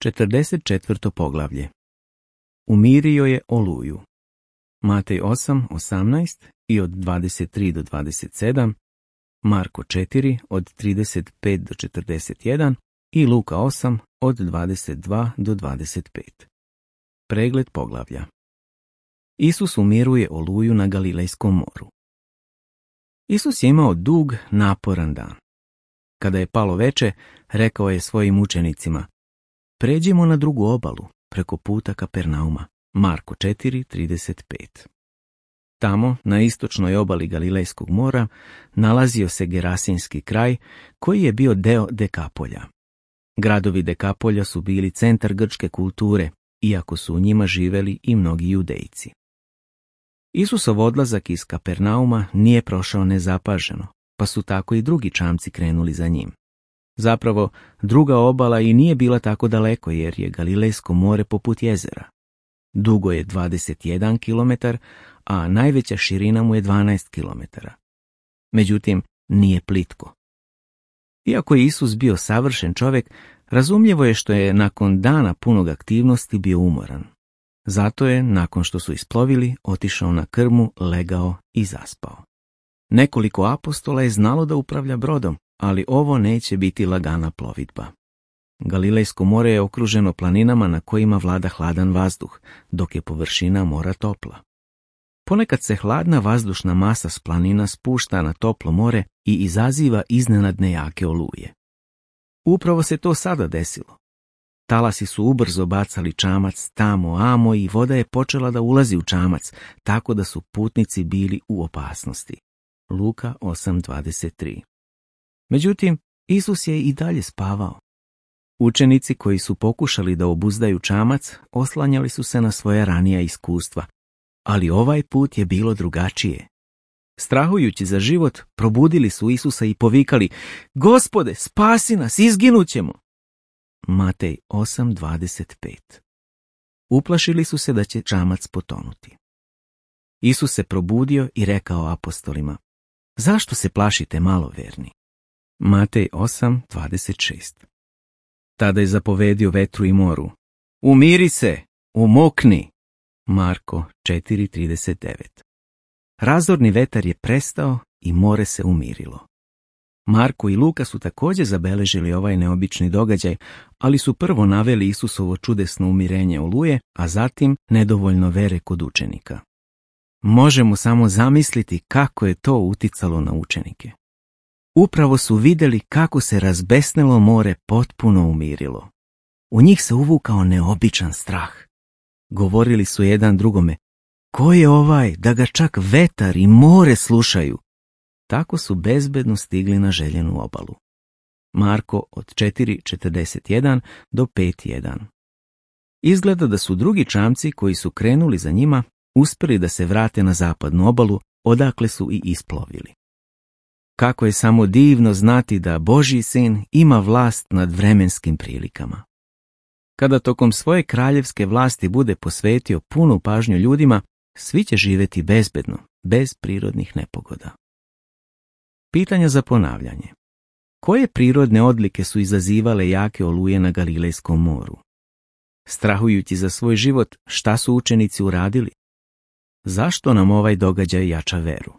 44. poglavlje. Umirio je oluju. Matej 8:18 i od 23 do 27, Marko 4 od 35 do 41 i Luka 8 od 22 do 25. Pregled poglavlja. Isus umiruje oluju na Galilejskom moru. Isus je imao dug, naporan dan. Kada je palo veče, rekao je svojim učenicima: pređimo na drugu obalu, preko puta Kapernauma. Marko 4:35. Tamo, na istočnoj obali Galilejskog mora, nalazio se Gerasinski kraj, koji je bio deo Dekapolja. Gradovi Dekapolja su bili centar grčke kulture, iako su u njima živeli i mnogi Judejci. Isusov odlazak iz Kapernauma nije prošao nezapaženo, pa su tako i drugi čamci krenuli za njim. Zapravo, druga obala i nije bila tako daleko, jer je Galilejsko more poput jezera. Dugo je 21 km, a najveća širina mu je 12 km. Međutim, nije plitko. Iako je Isus bio savršen čovjek, razumljivo je što je nakon dana punog aktivnosti bio umoran. Zato je, nakon što su isplovili, otišao na krmu, legao i zaspao. Nekoliko apostola je znalo da upravlja brodom, ali ovo neće biti lagana plovidba. Galilejsko more je okruženo planinama na kojima vlada hladan vazduh, dok je površina mora topla. Ponekad se hladna vazdušna masa s planina spušta na toplo more i izaziva iznenadne jake oluje. Upravo se to sada desilo. Talasi su ubrzo bacali čamac tamo amo i voda je počela da ulazi u čamac, tako da su putnici bili u opasnosti. Luka 8:23. Međutim, Isus je i dalje spavao. Učenici koji su pokušali da obuzdaju čamac oslanjali su se na svoja ranija iskustva, ali ovaj put je bilo drugačije. Strahujući za život, probudili su Isusa i povikali: Gospode, spasi nas, izginućemo! Matej 8:25. Uplašili su se da će čamac potonuti. Isus se probudio i rekao apostolima: zašto se plašite, maloverni? Matej 8:26. Tada je zapovedio vetru i moru: umiri se, umokni! Marko 4:39. Razorni vetar je prestao i more se umirilo. Marko i Luka su također zabeležili ovaj neobični događaj, ali su prvo naveli Isusovo čudesno umirenje oluje, a zatim nedovoljno vere kod učenika. Možemo samo zamisliti kako je to uticalo na učenike. Upravo su vidjeli kako se razbesnelo more potpuno umirilo. U njih se uvukao neobičan strah. Govorili su jedan drugome: ko je ovaj da ga čak vetar i more slušaju? Tako su bezbedno stigli na željenu obalu. Marko od 4:41 do 5:1. Izgleda da su drugi čamci koji su krenuli za njima uspjeli da se vrate na zapadnu obalu, odakle su i isplovili. Kako je samo divno znati da Božji sin ima vlast nad vremenskim prilikama. Kada tokom svoje kraljevske vlasti bude posvetio punu pažnju ljudima, svi će živjeti bezbedno, bez prirodnih nepogoda. Pitanja za ponavljanje. Koje prirodne odlike su izazivale jake oluje na Galilejskom moru? Strahujući za svoj život, šta su učenici uradili? Zašto nam ovaj događaj jača veru?